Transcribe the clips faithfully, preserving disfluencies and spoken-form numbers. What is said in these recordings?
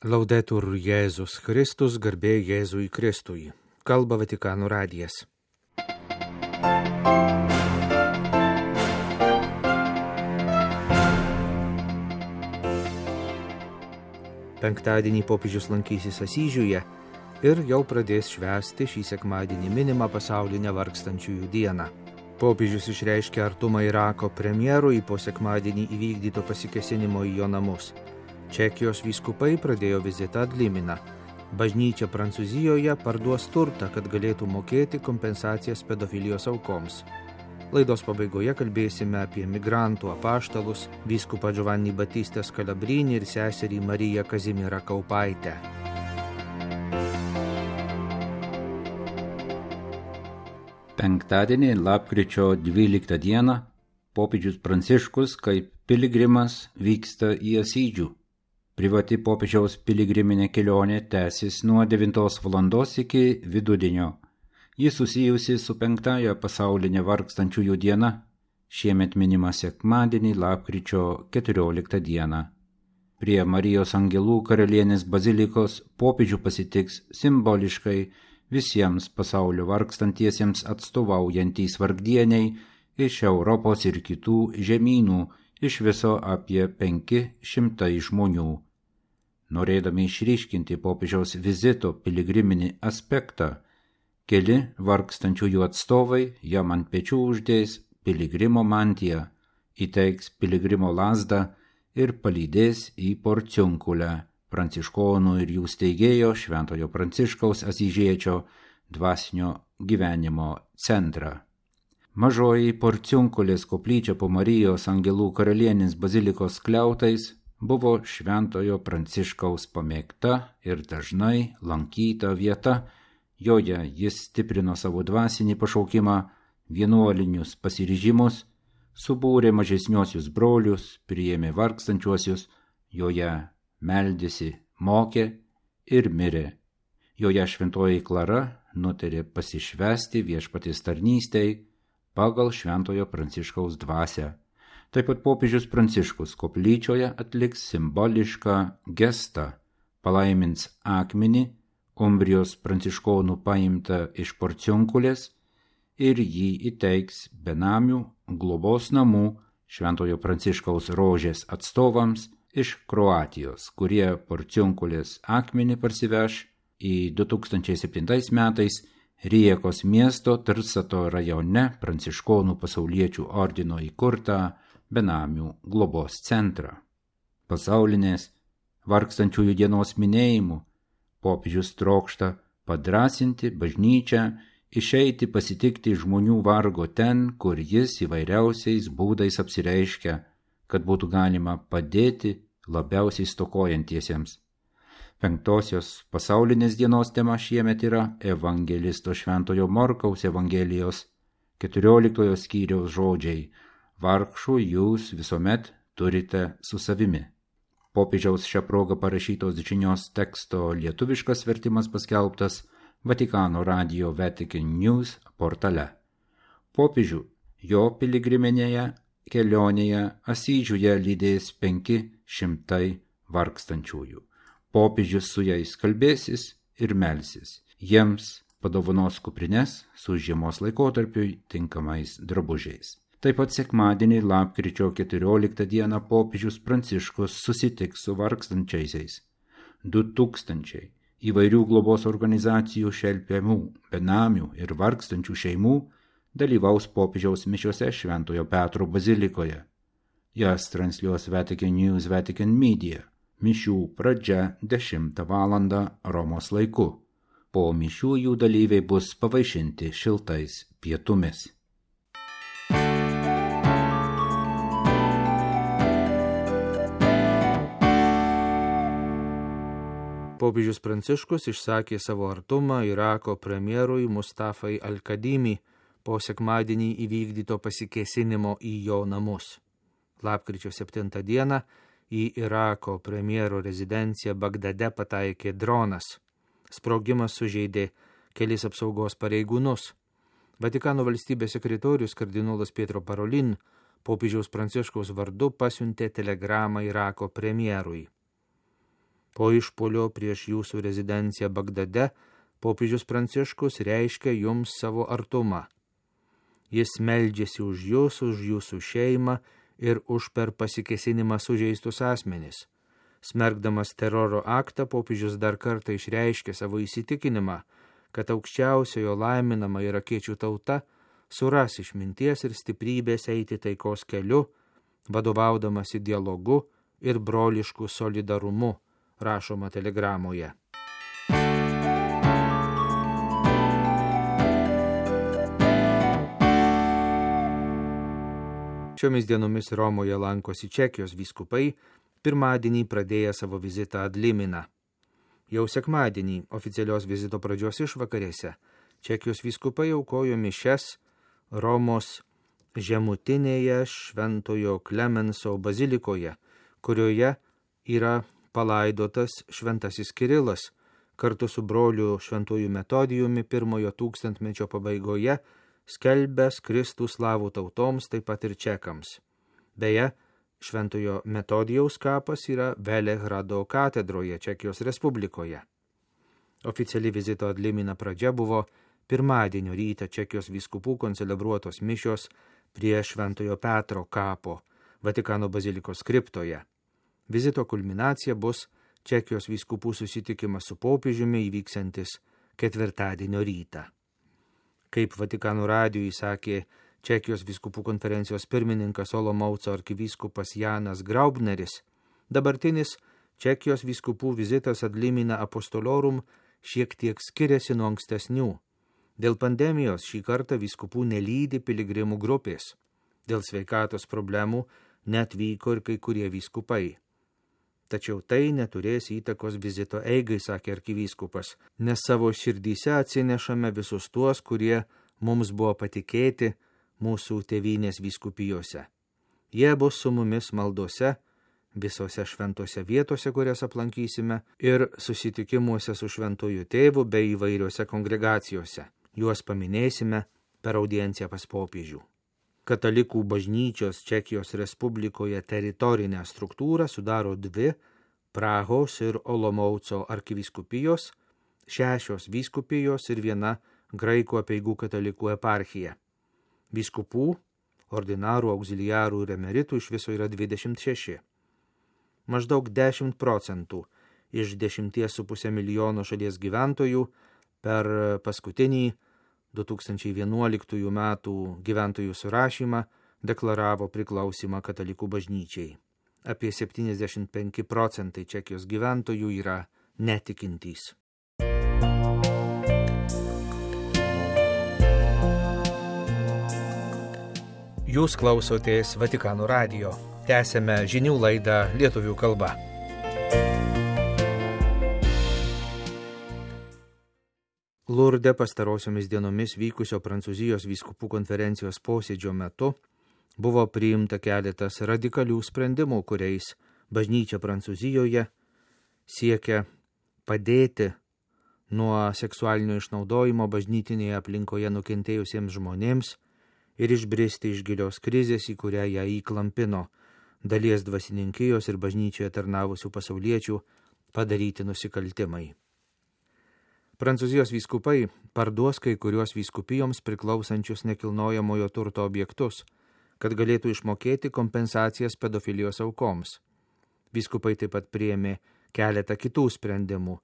Laudetur Jėzus Kristus, garbė Jėzui Kristui. Kalba Vatikano radijas. Penktadienį popiežius lankysis Asyžiuje ir jau pradės švęsti šį sekmadienį minimą pasaulinę vargstančiųjų dieną. Popiežius išreiškė artumą Irako premjerui po sekmadienį įvykdyto pasikėsinimo į jo namus. Čekijos vyskupai pradėjo vizitą Dliminą. Bažnyčia Prancūzijoje parduos turtą, kad galėtų mokėti kompensacijas pedofilijos aukoms. Laidos pabaigoje kalbėsime apie migrantų apaštalus, vyskupą Giovanni Battistą Scalabrini ir seserį Mariją Kazimierą Kaupaitę. Penktadienį, lapkričio dvyliktą dieną, popiežius Pranciškus kaip piligrimas vyksta į Asyžių. Privati popiežiaus piligriminė kelionė tęsis nuo devintos valandos iki vidudienio. Ji susijusi su penktąja pasaulinė vargstančiųjų diena, šiemet minima sekmadienį, lapkričio keturioliktą dieną. Prie Marijos Angelų karalienės bazilikos popiežių pasitiks simboliškai visiems pasaulio vargstantiesiems atstovaujantys vargdieniai iš Europos ir kitų žemynų, iš viso apie penki šimtai žmonių. Norėdami išryškinti popiežiaus vizito piligriminį aspektą, keli vargstančiųjų atstovai jam ant pečių uždės piligrimo mantiją, įteiks piligrimo lazdą ir palydės į Porciunkulę, pranciškonų ir jų steigėjo Šventojo Pranciškaus Asyžiečio dvasinio gyvenimo centrą. Mažoji Porciunkulės koplyčia po Marijos Angelų karalienės bazilikos skliautais buvo Šventojo Pranciškaus pamėgta ir dažnai lankyta vieta. Joje jis stiprino savo dvasinį pašaukimą, vienuolinius pasiryžimus, subūrė mažesniuosius brolius, priėmė vargstančiuosius, joje meldėsi, mokė ir mirė. Joje Šventoji Klara nutarė pasišvęsti viešpaties tarnystei pagal Šventojo Pranciškaus dvasią. Taip pat popiežius Pranciškus koplyčioje atliks simbolišką gestą, palaimins akmenį, Umbrijos pranciškonų paimtą iš Porciunkulės, ir jį įteiks benamių globos namų Šventojo Pranciškaus rožės atstovams iš Kroatijos, kurie Porciunkulės akmenį parsiveš į du tūkstančiai septintais metais Rijekos miesto Trsato rajone pranciškonų pasauliečių ordino įkurtą benamių globos centrą. Pasaulinės vargstančiųjų dienos minėjimu popiežius trokšta padrąsinti bažnyčią, išeiti pasitikti žmonių vargo ten, kur jis įvairiausiais būdais apsireiškia, kad būtų galima padėti labiausiai stokojantiesiems. Penktosios pasaulinės dienos tema šiemet yra evangelisto Šventojo Morkaus Evangelijos keturioliktojo skyriaus žodžiai: vargšų jūs visuomet turite su savimi. Popiežiaus šią progą parašytos žinios teksto lietuviškas vertimas paskelbtas Vatikano radijo Vatican News portale. Popiežių jo piligriminėje kelionėje Asyžiuje lydės penki šimtai vargstančiųjų. Popiežius su jais kalbėsis ir melsis. Jiems padovanos kuprines su žiemos laikotarpiui tinkamais drabužiais. Taip pat sekmadienį, lapkričio keturioliktą dieną, popiežius Pranciškus susitiks su vargstančiaisiais. Du tūkstančiai įvairių globos organizacijų šelpiamų, benamių ir vargstančių šeimų dalyvaus popiežiaus mišiose Šventojo Petro bazilikoje. Jas transliuos Vatican News Vatican Media. Mišių pradžia dešimtą valandą Romos laiku. Po mišių jų dalyviai bus pavaišinti šiltais pietumis. Popiežius Pranciškus išsakė savo artumą Irako premjerui Mustafai Al-Kadimi po sekmadienį įvykdyto pasikėsinimo į jo namus. Lapkričio septintą dieną į Irako premjero rezidenciją Bagdade pataikė dronas. Sprogimas sužeidė kelis apsaugos pareigūnus. Vatikano valstybės sekretorius kardinolas Pietro Parolin popiežiaus Pranciškaus vardu pasiuntė telegramą Irako premjerui. Po išpuolio prieš jūsų rezidenciją Bagdade popiežius Pranciškus reiškia jums savo artumą. Jis meldžiasi už jūs, už jūsų šeimą ir už per pasikesinimą sužeistus asmenis. Smerkdamas teroro aktą, popiežius dar kartą išreiškė savo įsitikinimą, kad aukščiausiojo laiminama irakiečių tauta suras išminties ir stiprybės eiti taikos keliu, vadovaudamasi dialogu ir brolišku solidarumu, rašoma telegramoje. Šiomis dienomis Romoje lankosi Čekijos vyskupai, pirmadienį pradėję savo vizitą ad limina. Jau sekmadienį oficialios vizito pradžios išvakarėse Čekijos vyskupai aukojo mišias Romos žemutinėje Šventojo Klemenso bazilikoje, kurioje yra palaidotas šventasis Kirilas, kartu su broliu Šventuoju Metodijumi pirmojo tūkstantmečio pabaigoje, skelbęs Kristų slavų tautoms, taip pat ir čekams. Beje, Šventojo Metodijaus kapas yra Velehrado katedroje Čekijos Respublikoje. Oficiali vizito ad limina pradžia buvo pirmadienio rytą Čekijos vyskupų koncelebruotos mišios prie Šventojo Petro kapo Vatikano bazilikos kriptoje. Vizito kulminacija bus Čekijos vyskupų susitikimas su popiežiumi įvyksiantis ketvirtadienio rytą. Kaip Vatikano radijui sakė Čekijos vyskupų konferencijos pirmininkas Olomouco arkivyskupas Janas Graubneris, dabartinis Čekijos vyskupų vizitas ad limina apostolorum šiek tiek skiriasi nuo ankstesnių. Dėl pandemijos šį kartą vyskupų nelydi piligrimų grupės. Dėl sveikatos problemų neatvyko ir kai kurie vyskupai. Tačiau tai neturės įtakos vizito eigai, sakė arkivyskupas, nes savo širdyse atsinešame visus tuos, kurie mums buvo patikėti mūsų tėvynės vyskupijose. Jie bus su mumis maldose, visose šventose vietose, kurias aplankysime, ir susitikimuose su šventuoju tėvu bei įvairiose kongregacijose. Juos paminėsime per audienciją pas popiežių. Katalikų bažnyčios Čekijos Respublikoje teritorinę struktūrą sudaro dvi Prahos ir Olomouco arkivyskupijos, šešios vyskupijos ir viena graikų apeigų katalikų eparchija. Vyskupų, ordinarų, auxiliarų ir emeritų iš viso yra dvidešimt šeši. Maždaug dešimt procentų iš dešimties su pusė milijono šalies gyventojų per paskutinį du tūkstančiai vienuoliktųjų metų gyventojų surašymą deklaravo priklausimą katalikų bažnyčiai. Apie septyniasdešimt penki procentai Čekijos gyventojų yra netikintys. Jūs klausotės Vatikano radijo. Tęsėme žinių laidą lietuvių kalba. Lurde pastarosiomis dienomis vykusio Prancūzijos vyskupų konferencijos posėdžio metu buvo priimta keletas radikalių sprendimų, kuriais bažnyčia Prancūzijoje siekia padėti nuo seksualinio išnaudojimo bažnytinėje aplinkoje nukentėjusiems žmonėms ir išbristi iš gilios krizės, į kurią ją įklampino dalies dvasininkijos ir bažnyčioje tarnavusių pasauliečių padaryti nusikaltimai. Prancūzijos vyskupai parduos kai kuriuos vyskupijoms priklausančius nekilnojamojo turto objektus, kad galėtų išmokėti kompensacijas pedofilijos aukoms. Vyskupai taip pat priėmė keletą kitų sprendimų,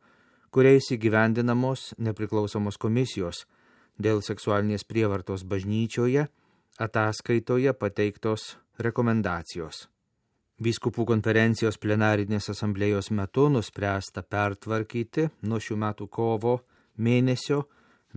kuriais įgyvendinamos nepriklausomos komisijos dėl seksualinės prievartos bažnyčioje ataskaitoje pateiktos rekomendacijos. Vyskupų konferencijos plenarinės asamblėjos metu nuspręsta pertvarkyti nuo šių metų kovo mėnesio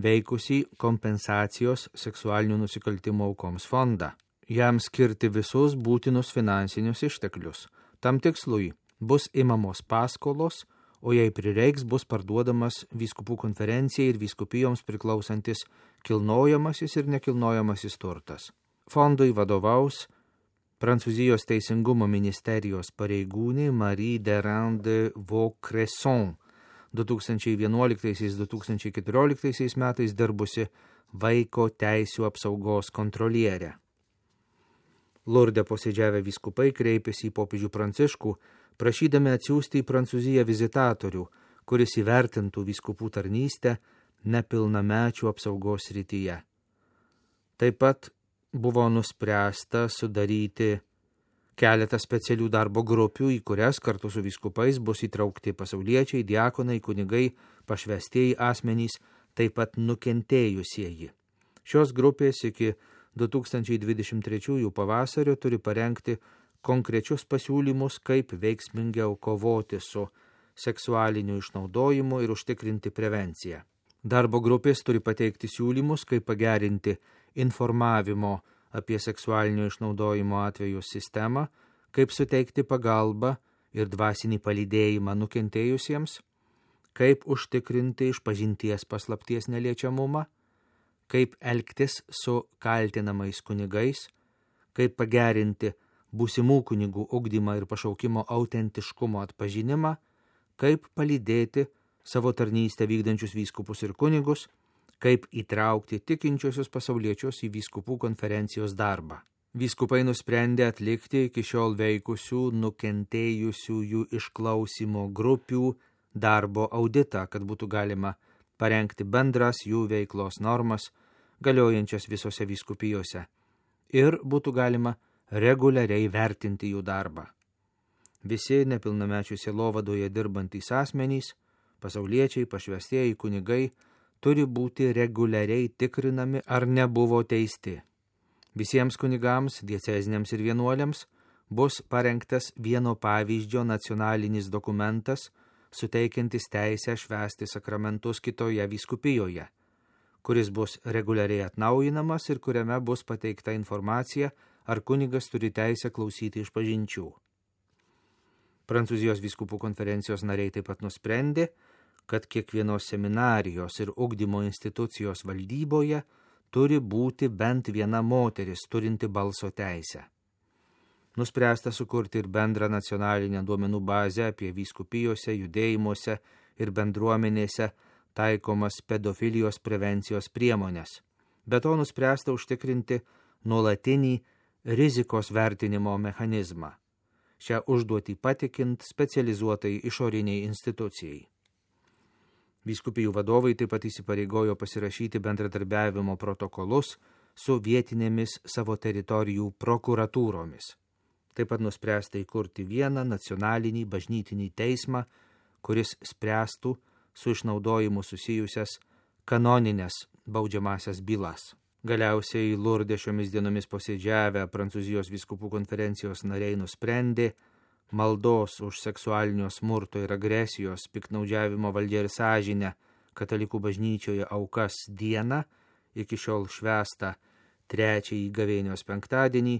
veikusį kompensacijos seksualinių nusikaltimų aukoms fondą. Jam skirti visus būtinus finansinius išteklius. Tam tikslui bus imamos paskolos, o jei prireiks, bus parduodamas vyskupų konferencijai ir vyskupijoms priklausantis kilnojamasis ir nekilnojamasis turtas. Fondui vadovaus Prancūzijos teisingumo ministerijos pareigūnė Marie Derain de Vaucresson, du tūkstančiai vienuoliktaisiais - du tūkstančiai keturioliktaisiais metais dirbusi vaiko teisių apsaugos kontrolierė. Lurde posėdžiavę vyskupai kreipėsi į popiežių Pranciškų, prašydami atsiųsti į Prancūziją vizitatorių, kuris įvertintų vyskupų tarnystę nepilnamečių apsaugos srityje. Taip pat buvo nuspręsta sudaryti keletą specialių darbo grupių, į kurias kartu su vyskupais bus įtraukti pasauliečiai, diakonai, kunigai, pašvestieji asmenys, taip pat nukentėjusieji. Šios grupės iki du tūkstančiai dvidešimt trečiųjų pavasario turi parengti konkrečius pasiūlymus, kaip veiksmingiau kovoti su seksualiniu išnaudojimu ir užtikrinti prevenciją. Darbo grupės turi pateikti siūlymus, kaip pagerinti informavimo apie seksualinio išnaudojimo atvejų sistemą, kaip suteikti pagalbą ir dvasinį palydėjimą nukentėjusiems, kaip užtikrinti išpažinties paslapties neliečiamumą, kaip elgtis su kaltinamais kunigais, kaip pagerinti būsimų kunigų ugdymą ir pašaukimo autentiškumo atpažinimą, kaip palydėti savo tarnystę vykdančius vyskupus ir kunigus, kaip įtraukti tikinčiosius pasauliečius į vyskupų konferencijos darbą. Vyskupai nusprendė atlikti iki šiol veikusių nukentėjusiųjų išklausimo grupių darbo auditą, kad būtų galima parengti bendras jų veiklos normas, galiojančias visose vyskupijose, ir būtų galima reguliariai vertinti jų darbą. Visi nepilnamečių sielovadoje dirbantys asmenys, pasauliečiai, pašvestieji kunigai, turi būti reguliariai tikrinami, ar nebuvo teisti. Visiems kunigams, dieceziniams ir vienuoliams bus parengtas vieno pavyzdžio nacionalinis dokumentas, suteikiantis teisę švęsti sakramentus kitoje vyskupijoje, kuris bus reguliariai atnaujinamas ir kuriame bus pateikta informacija, ar kunigas turi teisę klausyti išpažinčių. Prancūzijos vyskupų konferencijos nariai taip pat nusprendė, kad kiekvienos seminarijos ir ugdymo institucijos valdyboje turi būti bent viena moteris turinti balso teisę. Nuspręsta sukurti ir bendrą nacionalinę duomenų bazę apie vyskupijose, judėjimuose ir bendruomenėse taikomas pedofilijos prevencijos priemonės. Be to nuspręsta užtikrinti nuolatinį rizikos vertinimo mechanizmą. Šią užduotį patikint specializuotai išoriniai institucijai. Vyskupijų vadovai taip pat įsipareigojo pasirašyti bendradarbiavimo protokolus su vietinėmis savo teritorijų prokuratūromis. Taip pat nuspręsta įkurti vieną nacionalinį bažnytinį teismą, kuris spręstų su išnaudojimu susijusias kanoninės baudžiamasias bylas. Galiausiai Lurde šiomis dienomis posėdžiavę Prancūzijos vyskupų konferencijos nariai nusprendė maldos už seksualinio smurto ir agresijos, piktnaudžiavimo valdžia ir sąžinę katalikų bažnyčioje aukas dieną, iki šiol švęstą trečiąjį gavėnios penktadienį,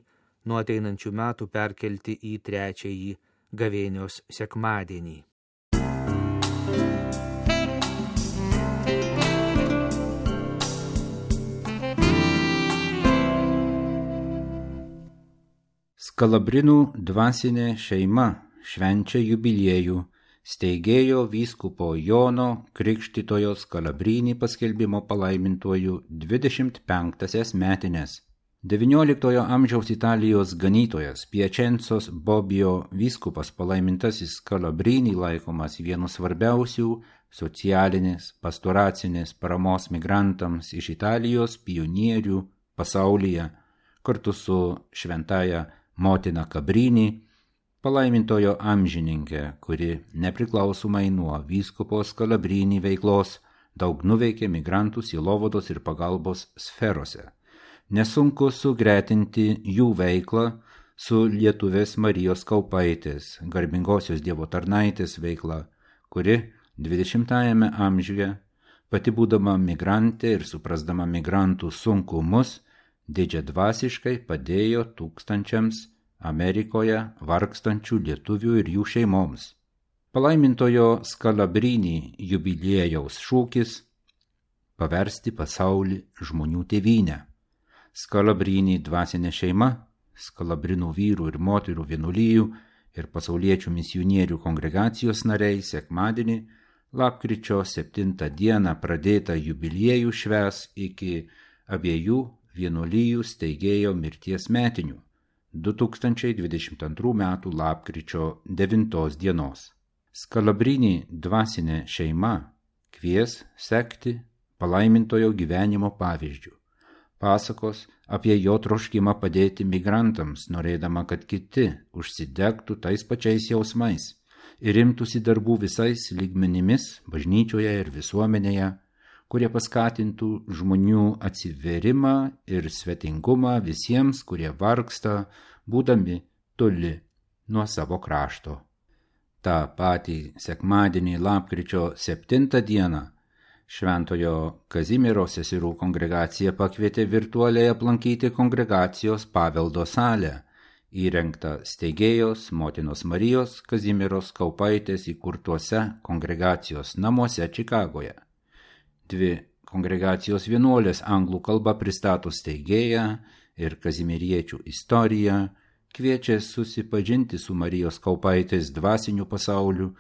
nuo ateinančių metų perkelti į trečiąjį gavėnios sekmadienį. Skalabrinų dvasinė šeima švenčia jubiliejų steigėjo vyskupo Jono Krikštytojo Skalabrinį paskelbimo palaimintuoju dvidešimt penktąsias metines. devynioliktojo amžiaus Italijos ganytojas Piačencos Bobbio vyskupas palaimintasis Skalabrinį laikomas vienu svarbiausių socialinės, pastoracinės paramos migrantams iš Italijos pionierių pasaulyje, kartu su šventaja motina Kabrinį, palaimintojo amžininkė, kuri nepriklausomai nuo vyskupo Skalabrinį veiklos daug nuveikė migrantų sielovados ir pagalbos sferose. Nesunku sugretinti jų veiklą su lietuvės Marijos Kaupaitės, garbingosios Dievo tarnaitės veikla, kuri dvidešimtajame amžiuje, pati būdama migrantė ir suprasdama migrantų sunkumus, didžiadvasiškai padėjo tūkstančiams Amerikoje vargstančių lietuvių ir jų šeimoms. Palaimintojo Skalabrinį jubiliejaus šūkis – paversti pasaulį žmonių tėvynę. Skalabrinį dvasinė šeima, Skalabrinų vyrų ir moterų vienuolijų ir pasauliečių misionierių kongregacijos nariai sekmadienį, lapkričio septintą dieną pradėtą jubiliejų švęs iki abiejų vienuolijų steigėjo mirties metinių. du tūkstančiai dvidešimt antrų metų lapkričio devintos dienos. Skalabrini dvasinė šeima kvies sekti palaimintojo gyvenimo pavyzdžių. Pasakos apie jo troškimą padėti migrantams, norėdama, kad kiti užsidegtų tais pačiais jausmais ir imtųsi darbų visais lygmenimis bažnyčioje ir visuomenėje, kurie paskatintų žmonių atsivėrimą ir svetingumą visiems, kurie vargsta, būdami toli nuo savo krašto. Ta patį sekmadienį lapkričio septintą dieną Šventojo Kazimiero seserų kongregacija pakvietė virtualiai aplankyti kongregacijos paveldo salę, įrengtą steigėjos motinos Marijos Kazimieros Kaupaitės įkurtuose kongregacijos namuose Čikagoje. Dvi kongregacijos vienuolės anglų kalba pristato steigėją ir kazimiriečių istoriją, kviečia susipažinti su Marijos Kaupaitės dvasiniu pasauliu,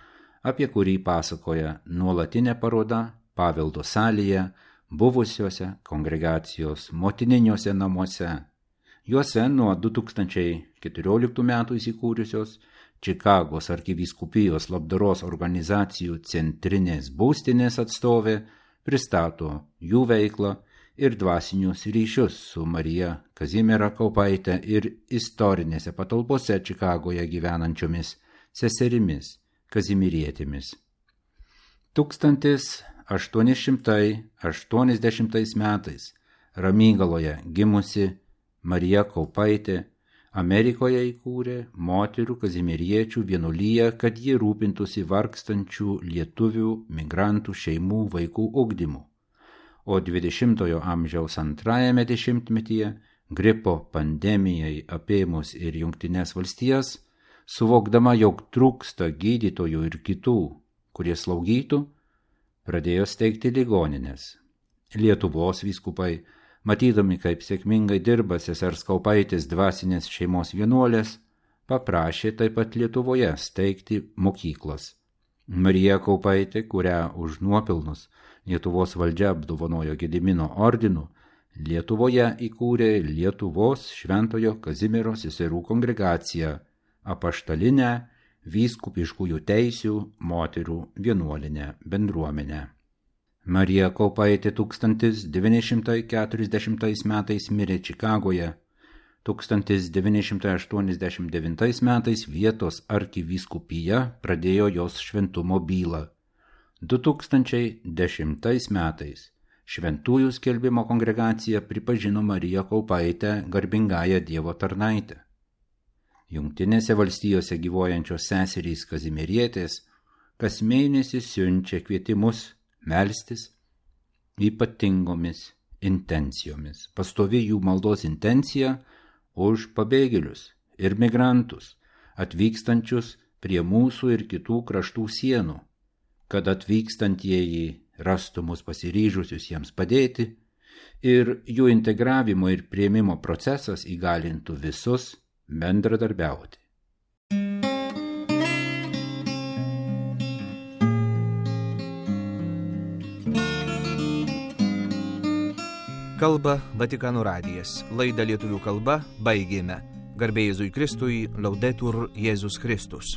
apie kurį pasakoja nuolatinė paroda paveldo salėje, buvusiuose kongregacijos motininiuose namuose. Juose nuo du tūkstančiai keturioliktų metų įsikūrusios Čikagos arkivyskupijos labdaros organizacijų centrinės būstinės atstovė pristato jų veiklą ir dvasinius ryšius su Marija Kazimiera Kaupaite ir istorinėse patalpose Čikagoje gyvenančiomis seserimis kazimirietėmis. Tūkstantis aštuoni šimtai aštuoniasdešimtais metais Ramygaloje gimusi Marija Kaupaitė Amerikoje įkūrė moterų kazimiriečių vienuoliją, kad ji rūpintųsi vargstančių lietuvių migrantų šeimų vaikų ugdymu. O dvidešimtojo amžiaus antrajame dešimtmetyje gripo pandemijai apėmus ir Jungtines valstijas, suvokdama, jog trūksta gydytojų ir kitų, kurie slaugytų, pradėjo steigti ligonines. Lietuvos vyskupai, matydami, kaip sėkmingai dirba sesers Kaupaitės dvasinės šeimos vienuolės, paprašė taip pat Lietuvoje steigti mokyklas. Marija Kaupaitė, kurią už nuopelnus Lietuvos valdžia apdovanojo Gedimino ordinu, Lietuvoje įkūrė Lietuvos Šventojo Kazimiero seserų kongregaciją, apaštalinę vyskupiškųjų teisių moterų vienuolinę bendruomenę. Marija Kaupaitė tūkstantis devyni šimtai keturiasdešimtais metais mirė Čikagoje, tūkstantis devyni šimtai aštuoniasdešimt devintais metais vietos arkivyskupija pradėjo jos šventumo bylą. du tūkstančiai dešimtais metais Šventųjų skelbimo kongregacija pripažino Mariją Kaupaitę garbingąją Dievo tarnaitę. Jungtinėse valstijose gyvuojančios seserys kazimirietės kas mėnesį siunčia kvietimus melstis ypatingomis intencijomis. Pastovi jų maldos intencija už pabėgėlius ir migrantus, atvykstančius prie mūsų ir kitų kraštų sienų, kad atvykstantieji rastų mus pasiryžusius jiems padėti ir jų integravimo ir priėmimo procesas įgalintų visus bendradarbiauti. Kalba Vatikano radijas. Laidą lietuvių kalba baigėme. Garbė Jėzui Kristui, Laudetur Jėzus Kristus.